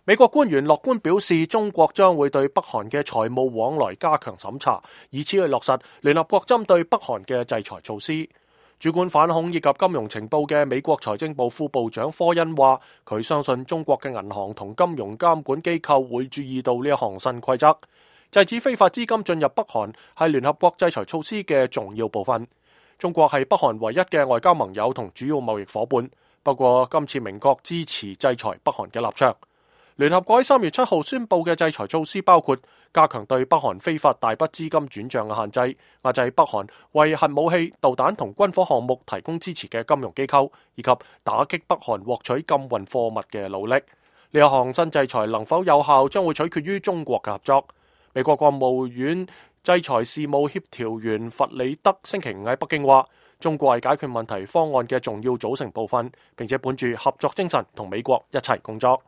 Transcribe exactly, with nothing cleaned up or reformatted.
美國官員樂觀表示，中國將會對北韓嘅財務往來加強審查，以此去落實聯合國針對北韓嘅制裁措施。主管反恐以及金融情報嘅美國財政部副部長科恩話，佢相信中國嘅銀行同金融監管機構會注意到呢一項新規則。制止非法資金進入北韓係聯合國制裁措施嘅重要部分。中國係北韓唯一嘅外交盟友同主要貿易夥伴，不過今次明確支持制裁北韓嘅立場。聯合國喺三月七號宣布嘅制裁措施包括加強對北韓非法大筆資金轉賬嘅限制，壓制北韓為核武器、導彈同軍火項目提供支持嘅金融機構，以及打擊北韓獲取禁運貨物嘅努力。呢一項新制裁能否有效，將會取決於中國嘅合作。美國國務院制裁事務協調員弗里德星期五喺北京話，中國係解決問題方案嘅重要組成部分，並且本住合作精神同美國一齊工作。